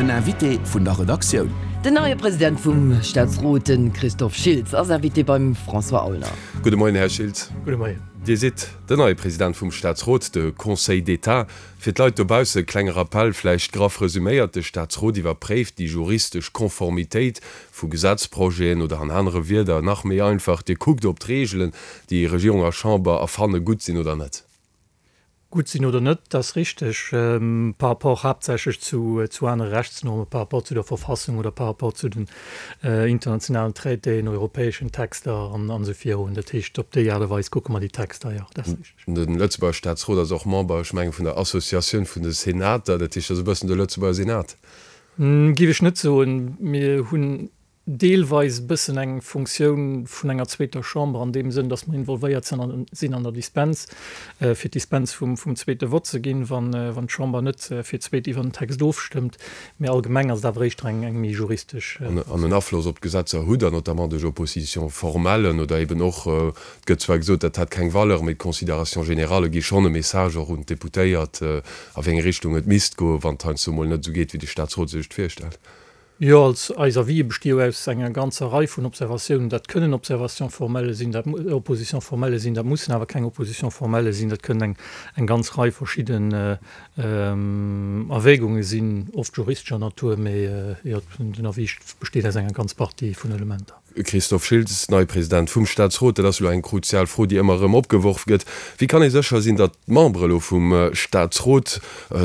Den Invité vun der Redaktioun. Den neie President vum Staatsrot, de Christophe Schiltz, ass Invité beim François Aulner. Gudde Moien, Här Schiltz. Gudde Moien. Dir sidd den neie President vum Staatsrot, de Conseil d'État. Fir d'Leit dobausse e klenge Rappel, vläicht graff resüméiert, De Staatsrot iwwerpréift déi juristesch Konformitéit vu Gesetzprojeten oder an anere Wierder, nach méi einfach, Dir kuckt, ob d'Reegelen, déi Regierung a Chamber erfanne, gutt sinn oder net. Gutt sinn oder net, dat ass richteg, par rapport haaptsächlech zu zu anere Rechtsnormen, par rapport zu der Verfassung oder par rapport zu den internationalen Traitéen, europäeschen Texter an esou virun. Dat heescht, op déi Aart a Weis kucke mer déi Texter, jo, dat ass richteg. De Lëtzebuerger Staatsrot ass och Member, ech mengen, vun der Associatioun vun de Senater. Dat heescht, dat ass e bëssen de Lëtzebuerger Senat. Géif ech net soen. Mir hunn deelweis e bëssen eng Funktioun vun enger zweeter Chamber an deem Sënn, datt mer involvéiert sinn an der Dispens, fir d'Dispens vum zweete Vott ze ginn, wann d'Chamber net fir d'zweet iwwer den Text ofstëmmt. Mee allgemeng ass et awer éischter eng méi juristesch Funktioun. An en Afloss op d'Gesetzer hutt Der notamment duerch Opposition-formellen oder eben och, et gëtt zwar gesot, dat hätt keng Valeur, mee d'Considérations générales gi schonn e Message och un d'Deputéiert, a wéi eng Richtung et misst goen, wann et heiansdo mol net esou geet, wéi de Staatsrot sech et virstellt. Jo, als eis Avisë besti jo aus enger ganzer Rei vun Observatiounen. Dat kënnen Observations formelles sinn, dat Oppositions formelles sinn, dat mussen awer keng Oppositions formelles sinn, dat kënnen eng eng ganz Rei verschidden Erwägunge sinn, oft juristescher Natur, mee jo, den Avis besteet aus enger ganz Partie vun Elementer. Christophe Schiltz, neie President vum Staatsrot, Dat ass elo eng kruzial Fro, déi ëmmer erëm opgeworf gëtt. Wéi kann ee sécher sinn, datt d'Membere elo vum Staatsrot,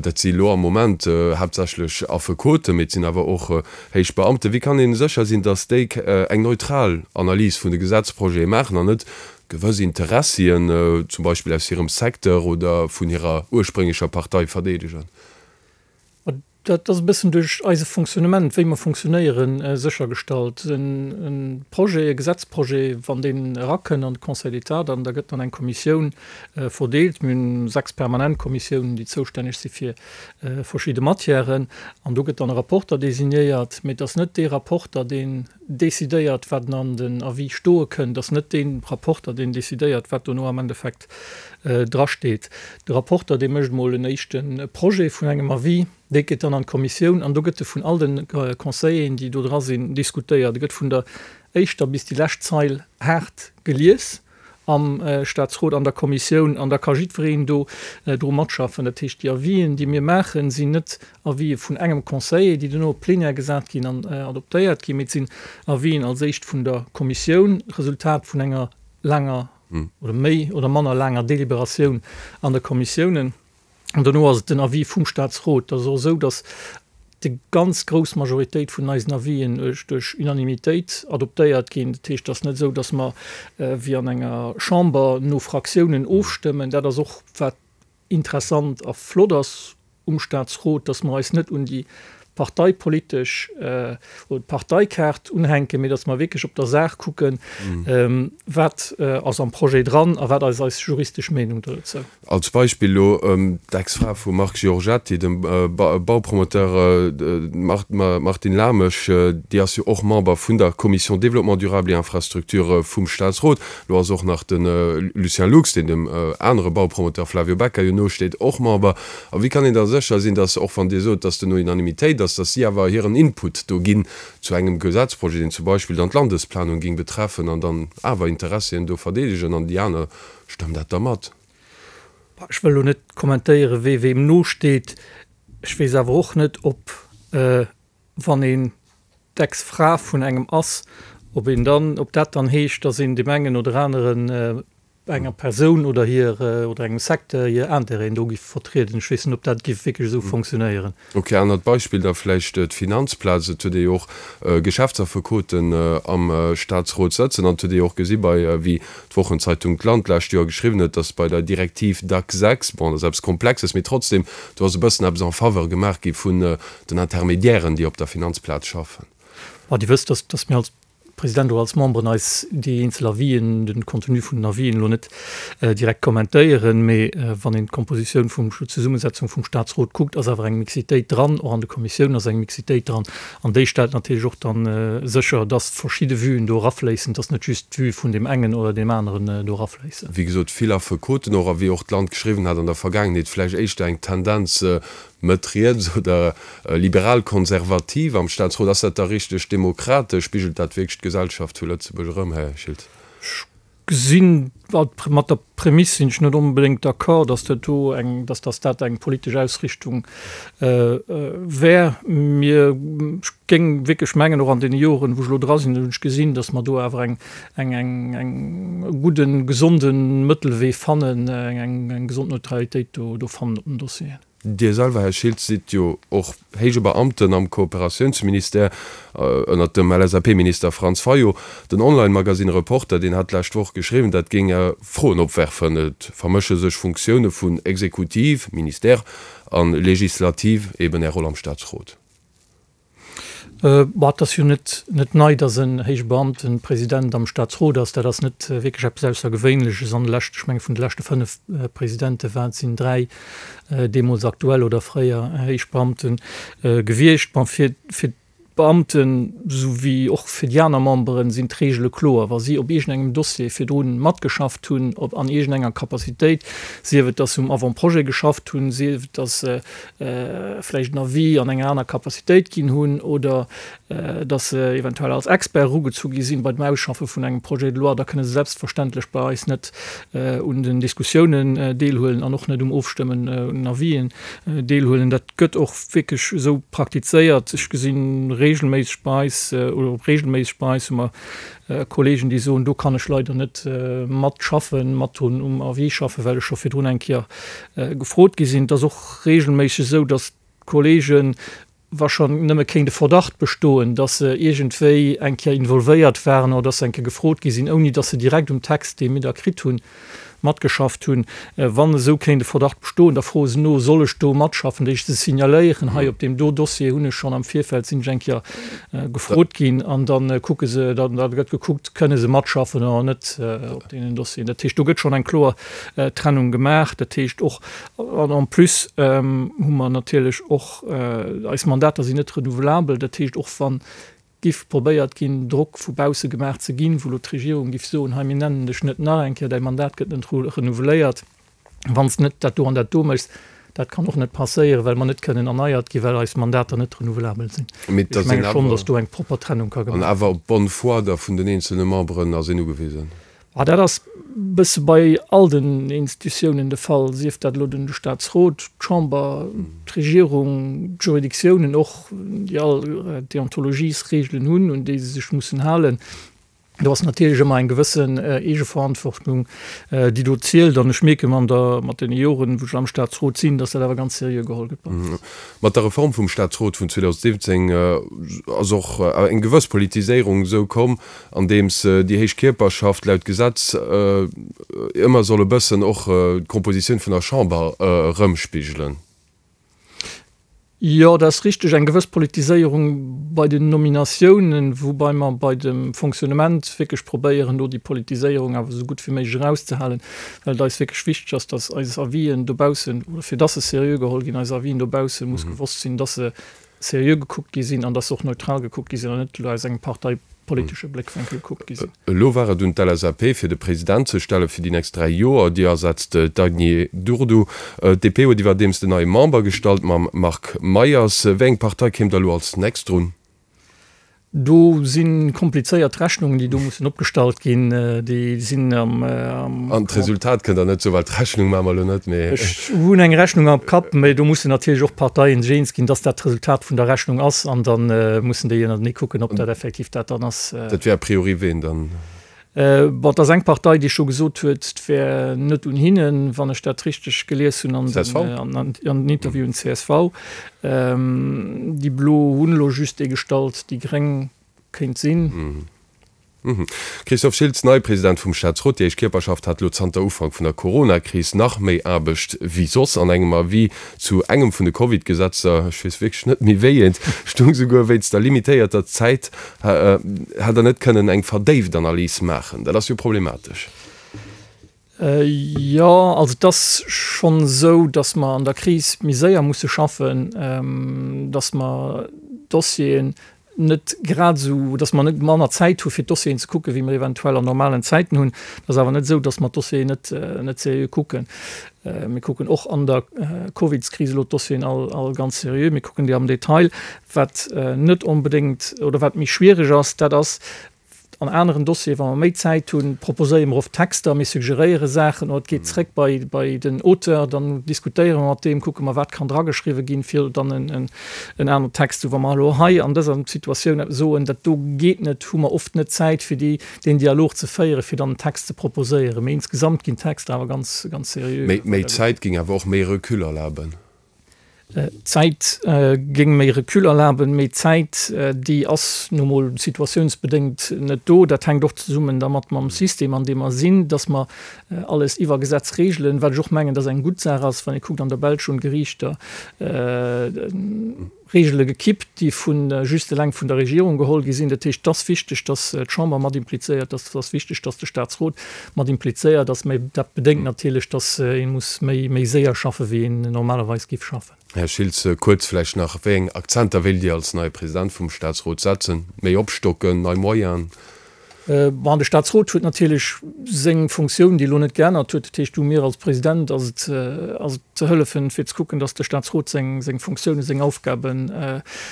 dat si elo am Moment haaptsächlech Affekoten, mee et sinn awer och héich Beamten, wéi kann ee sécher sinn, datt déi eng neutral Analys vun de Gesetzprojete maachen an net gewëss Interessien, zum Beispill aus hirem Secteur oder vun hirer ursprénglecher Partei verdeedegen? Dat ass e bëssen duerch eise Fonctionnement, wéi mer fonctionnéieren, séchergestallt. E Projet, e Gesetzprojet, wann deen erakënn an de Conseil d'État, dann da gëtt an eng Kommissioun verdeelt. Mir hunn 6 permanent Kommissiounen, déi zoustänneg si fir verschidde Matièren. An do gëtt dann e Rapporter designéiert. Mee et ass net dee Rapporter, deen decidéiert, wat an den Avis stoe kënn. Et ass net dee Rapporter, deen decidéiert, wat dono am Endeffekt drasteet. De Rapporter, dee mécht emol en éischte Projet vun engem Avis, dee geet dann an d'Kommissioun an do gëtt e vun all de Conseilleren, déi do dra sinn, diskutéiert. E gëtt vun der éischter bis déi lescht Zeil haart gelies am Staatsrot, an der Kommissioun, an da ka jiddwereen do dru matschaffen. Dat heescht, déi Avisen, déi mir maachen, sinn net Avisë vun engem Conseiller, déi duerno op d'Plenière gesat ginn an adoptéiert ginn, mee et sinn Avisen als éischt vun der Kommissioun, Resultat vun enger laanger oder méi oder manner laanger Deliberatioun an de Kommissiounen. An dono ass et den Avis vum Statsrot. Et ass och esou, datt déi ganz grouss Majoritéit vun eisen Avisen duerch Unanimitéit adoptéiert ginn. Dat heescht, et ass net esou, datt mer wéi an enger Chamber no Fraktiounen ofstëmmen. Dat ass och, wat interessant a flott ass um Staatsrot, dass mer eis net un déi parteipolitesch oder d'Parteikaart unhänken, mee dass mer wierklech op der Saach kucken, wat ass am Projet dran a wat ass eis juristesch Meenung dozou. Als Beispill elo d'Ex-Fra vum Marc Giorgetti, dem Baupromoteur Martine Lamesch, déi ass jo och Member vun der Commission Développement durable et Infrastructures vum Staatsrot. Lo ass och nach de Lucien Lux, deen dem anere Baupromoteur Flavio Becca jo nosteet, och Member. A wéi kann een da sécher sinn, datt, och wann Dir sot, datt duerno Unanimitéit ass, datt si awer hiren Input do ginn zu engem Gesetzprojet, deen zum Beispill dann d'Landesplanung géing betreffen an dann awer Interessien do verdeedegen an déi aner stëmmen dat da mat? Ech wëll elo net kommentéieren, wee weem nosteet. Ech weess awer och net, ob, wann een d'Ex-Fra vun engem ass, ob een dann, ob dat dann heescht, datt een deem engen oder aneren, enger Persoun oder hir oder engem Secteur hir Intérêten do giff vertrieden. Ech weess net, ob dat giff wierklech esou fonctionnéieren. Ok, anert Beispill da vläicht d'Finanzplaz. Et huet ee jo och Geschäftsaffekoten am Staatsrot sëtzen an et huet ee jo och gesi bei, wéi d'Wochenzeitung d'Land d'lescht Joer geschriwwen huet, datt bei der Direktiv DAC 6, bon, dat ass eppes Komplexes, mee trotzdem, do ass e bëssen eppes en faveur gemaach gi vun den Intermédiairen, déi op der Finanzplaz schaffen. Bon, Dir wësst, datt, datt mir als President oder als Memberen eis déi eenzel Avisen, den Contenu vun den Avisen elo net direkt kommentéieren, mee wann een d'Kompositioun vum, d'Zesummesetzung vum Statsrot kuckt, ass awer eng Mixitéit dran, och an de Kommissiounen ass eng Mixitéit dran an déi stellt natierlech och dann sécher, dass verschidde Vuen do erafléissen, dass net just d'Vue vun deem engen oder deem aneren do erafléissen. Wéi gesot, vill Affekoten och, a wéi och d'Land geschriwwen hat an der Vergaangenheet, vläicht éischter eng Tendenz. Mëtt-riets oder liberal-konservativ am Staatsrot. Ass dat da richteg demokratesch? Spigelt dat wierklech d'Gesellschaft zu Lëtzebuerg erëm, Här Schiltz? Ech gesinn, mat der Prämiss sinn ech net onbedéngt d'accord, datt dat do eng, datt datt dat eng politesch Ausrichtung wär. Mir, ech géing wierklech mengen, och an deene Joren, wou ech elo dra sinn, hunn ech gesinn, datt mer do awer eng, eng, eng, eng, e gudden, gesonde Mëttelwee fannen, eng, eng, eng gesond Neutralitéit do, do fannen op den Dossieren. Dir selwer, Här Schiltz, sidd jo och héije Beamten am Kooperatiounsministère ënnert dem LSAP-Minister Franz Fayot. Den Online-Magasinn Reporter, deen hat d'lescht Woch geschriwwen, dat géing Froen opwerfen. Et vermësche sech Funktioune vun Exekutiv, Ministère, a Legislativ, eben Är Roll am Staatsrot. Bon, et ass jo net net nei, datt en héije Beamten President am Staatsrot ass. Dat ass net wierklech eppes Aussergewéinleches. An de leschte, ech menge vun de leschte 5 Presidente war et sinn 3 deemools aktuell oder fréier héich Beamte gewiescht. Bon, fir fir d'Beamten, esou wéi och fir déi aner Memberen, sinn d'Reegele kloer. Wa si op iergendengem Dossier virdru matgeschafft hunn, op an iergendenger Capacitéit, sief et datt se um Avant-projet geschafft hunn, sief et datt se vläicht en Avis an enger aner Capacitéit ginn hunn oder dass se eventuell als Expert erugezu gi sinn bei dem Ausschaffe vun engem Projet de loi, da kënne se selbstverständlech bei eis net un den Diskussiounen deelhuelen an och net um Ofstëmmen un den Avisen deelhuelen. Dat gëtt och wierklech esou praktizéiert. Ech gesi regelméisseg bei eis, oder regelméisseg bei eis hu mer Kollegen, déi soen, do kann ech leider net matschaffen, mat drun um Avis schaffen, well ech scho virdrun eng Kéier gefrot gi sinn. Et ass och regelméisseg esou, datt d'Kollegen, wa schonn nëmme kéint e Verdacht bestoen, datt se iergendwéi eng Kéier involvéiert waren oder datt se eng Kéier gefrot gi sinn, ouni datt se direkt um Text, dee mir da kritt hunn, matgeschafft hunn. Wann esou kéint e Verdacht bestoen, da froe se no, Soll ech do matschaffen? Déi se signaléieren, hei op deem do Dossier hunn ech schonn am Virfeld, sinn ech eng Kéier gefrot ginn. An da kucke se, da gëtt gekuckt, kënne se matschaffen oder net op deenen Dossieren. Dat heescht, do gëtt schonn eng kloer Trennung gemaach. Dat heescht och, an en plus hu mer natierlech och, eis Mandater sinn net renouvelabel, dat heescht och wann giff probéiert ginn, Drock vu bausse gemaach ze ginn, wou elo d'Regierung giff soen, hei mir nennen dech net nach eng Kéier, däi Mandat gëtt net renouveléiert, wann s de net dat do an dat do méchs. Dat kann och net passéieren, well mer net kënnen erneiert ginn, well eis Mandater net renouvelabel sinn. Mee Ech menge schonn, datt do eng propper Trennung ka gemaach ginn. An awer op d'Bonne foi da vun den eenzelne Memberen ass een ugewisen. Ah, dat ass e bësse bei all den Institutiounen de Fall, sief dat elo den Staatsrot, d'Chamber, d'Regierung, d'Juridictiounen och, déi all Deontologiesregelen hunn, un déi se sech mussen halen. Do ass natierlech ëmmer eng gewëssen Eegeverantwortung, déi do zielt. An ech mierken an der, mat deene Joren, wou ech am Staatsrot sinn, dass dat awer ganz seriö geholl gëtt bei eis. Mat der Reform vum Staatsrot vun 2017 ass och eng gewëss Politiséierung esou komm, andeems déi héich Kierperschaft laut Gesetz ëmmer soll e bëssen och d'Kompositioun vun der Chamber erëmspigelen. Jo, dat ass richteg, eng gewëss Politiséierung bei den Nominatiounen, woubai mer bei dem Fonctionnement wierklech probéieren, do déi Politiséierung awer esou gutt wéi méiglech erauszehalen, well et eis wierklech wichteg ass, dass eis Avisen dobaussen, oder fir dass se seriö geholl ginn, eis Avisen dobausse muss gewosst sinn, dass se seriö gekuckt gi sinn an dass se och neutral gekuckt gi sinn an net elo aus engem parteipolitesche Bléckwénkel gekuckt gi sinn. Elo war et un d'LSAP, fir de President ze stelle fir déi nächst 3 Joer. Déi ersetzt d'Agny Durdu. D'DP huet iwwerdeems den neie Member gestallt mam Marc Meyers. Wéi eng Partei kéim da elo als nächst drun? Do si komplizéiert Rechnungen, déi do mussen opgestallt ginn. Déi sinn am. An d'Resultat kënnt Der net soen, well d'Rechnung maache mer elo net, mee. Ech hunn eng Rechnung am Kapp, mee do mussen natierlech och d'Parteien sech eens ginn, dass dat d'Resultat vun der Rechnung ass. An da mussen déi ënnertenee kucken, ob dat effektiv dat dann ass. Dat wär a priori ween dann? Bon, et ass eng Partei, déi scho gesot huet, et wär net un hinnen, wann ech dat richteg gelies hunn an den Interviewen, csv. Déi Blo hunn elo just ee gestallt, déi Gréng kéint sinn. Christophe Schiltz, neie President vum Staatsrot, Déi éischt Kierperschaft hat elo zanter Ufank vun der Corona-Kris nach méi Aarbecht wéi soss. An engem Avis zu engem vun de Covid-Gesetzer, ech weess wierklech net méi wéi eent, stung souguer wéinst der limitéierter Zäit Hätt Der net kënnen eng verdéift Analys maachen? Dat ass jo problematesch. Jo, also et ass schonn esou, datt mer an der Kris méi séier musse schaffen, datt mer Dossieren. net grad esou, dass mer net manner Zäit hu fir d'Dossieren ze kucken, wéi mer eventuell an normalen Zäiten hunn. Et ass awer net esou, dass mer d'Dossieren net, net seriö kucken. Mir kucken och an der Covidskris elo d'Dossieren all, all ganz seriö. Mir kucken déi am Detail. Wat net onbedéngt oder wat méi schwierig ass, dat ass, An aneren Dossieren, wa mer méi Zäit hunn, proposéiere mer oft Texter, mir suggeréiere Saachen oder et geet zréck bei, bei den Auteur, dann diskutéiere mer mat deem, kucke mer, wat kann drageschriwwen ginn, fir dann en, en aneren Text ze. Wa mer elo hei an dëser Situatioun soen, dat do geet net, hu mer oft net d'Zäit, fir déi, deen Dialog ze féieren, fir dann en Text ze proposéieren. Mee insgesamt ginn d'Texter awer ganz, ganz seriö. Méi, méi Zäit géing awer och méi Recul erlaben. D'Zäit géing méi Recul erlaben, mee d'Zäit, déi ass nu mol situatiounsbedéngt net do. Dat hänkt och zesummen dermat mam System, an deem mer sinn, dass mer alles iwwer Gesetz regelen, wat ech och mengen, dass eng gutt Saach ass. Wann ee kuckt, an der Belsch hunn d'Geriichter Regele gekippt, déi vu just eleng vun der Regierung geholl gi sinn. Dat heescht, et ass wichteg, dass d'Chamber mat implizéiert ass, et ass wichteg, dass de Statsrot mat implizéiert ass, mä dat bedéngt natierlech, dass ee muss méi méi séier schaffen, wéi een normalerweis géif schaffen. Här Schiltz, kuerz vläicht nach, Wéi eng Akzenter wéilt Dir als neie President vum Statsrot setzen? Méi opstocken, nei Moyenen? Bon, de Statsrot huet natierlech seng Funktioun, déi elo net geännert huet. Dat heescht, u mir als President ass et, ass et ze hëllefen, fir ze kucken, datt de Statsrot seng, seng Funktiounen, seng Aufgaben,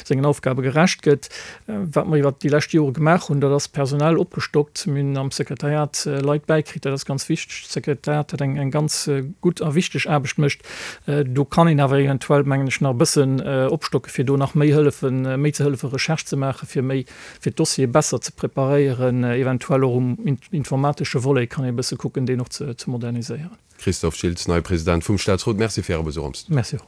sengen Aufgabe gerecht gëtt. Wat mer iwwert déi lescht Jore gemaach hunn, dat ass personell opgestockt. Mir hunn am Sekretariat Leit bäikritt, dat ass ganz wichteg. D'Sekretariat, dat eng, eng ganz gutt a wichteg Aarbecht mécht. Do kann een awer eventuell, mengen ech, nach e bëssen opstocken, fir do nach méi hëllefen, méi ze hëllefen, Recherche ze maachen, fir méi fir d'Dossiere besser ze preparéieren, eventuell och um informatesche Volet kann ee bësse kucken, deen och ze moderniséieren. Christophe Schiltz, neie President vum Staatsrot, Merci fir Äre Besuch am Studio. Merci och.